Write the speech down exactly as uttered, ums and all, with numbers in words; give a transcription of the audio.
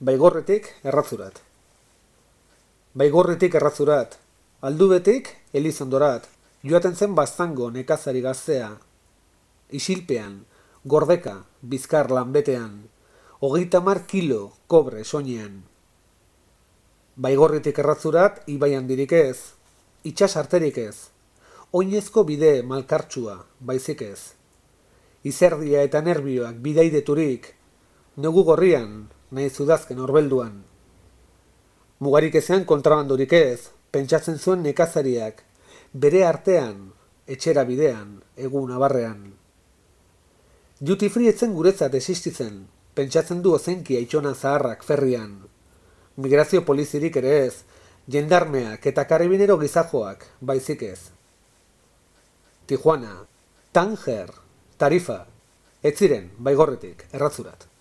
Baigorretik erratzurat. Baigorretik erratzurat, aldubetik Elizondorat, joaten zen baztango nekazari gaztea. Isilpean, gordeka, bizkar lanbetean, hogeita hamar kilo kobre soinean. Baigorretik erratzurat, ibai handirik ez, itxas arterik ez, oinezko bide malkartsua, baizik ez. Izerdia eta nerbioak bidaideturik, negu gorrian, nahi zudazken orbelduan. Mugarik ezean kontrabandorik ez, pentsatzen zuen nekazariak, bere artean, etxera bidean, egun abarrean. Duty free etzen guretzat existitzen, pentsatzen du ozenki aitxona zaharrak ferrian. Migrazio polizirik ere ez, jendarmeak eta karabinero gizajoak, baizik ez. Tijuana, Tanger, Tarifa, ez ziren Baigorretik erratzurat.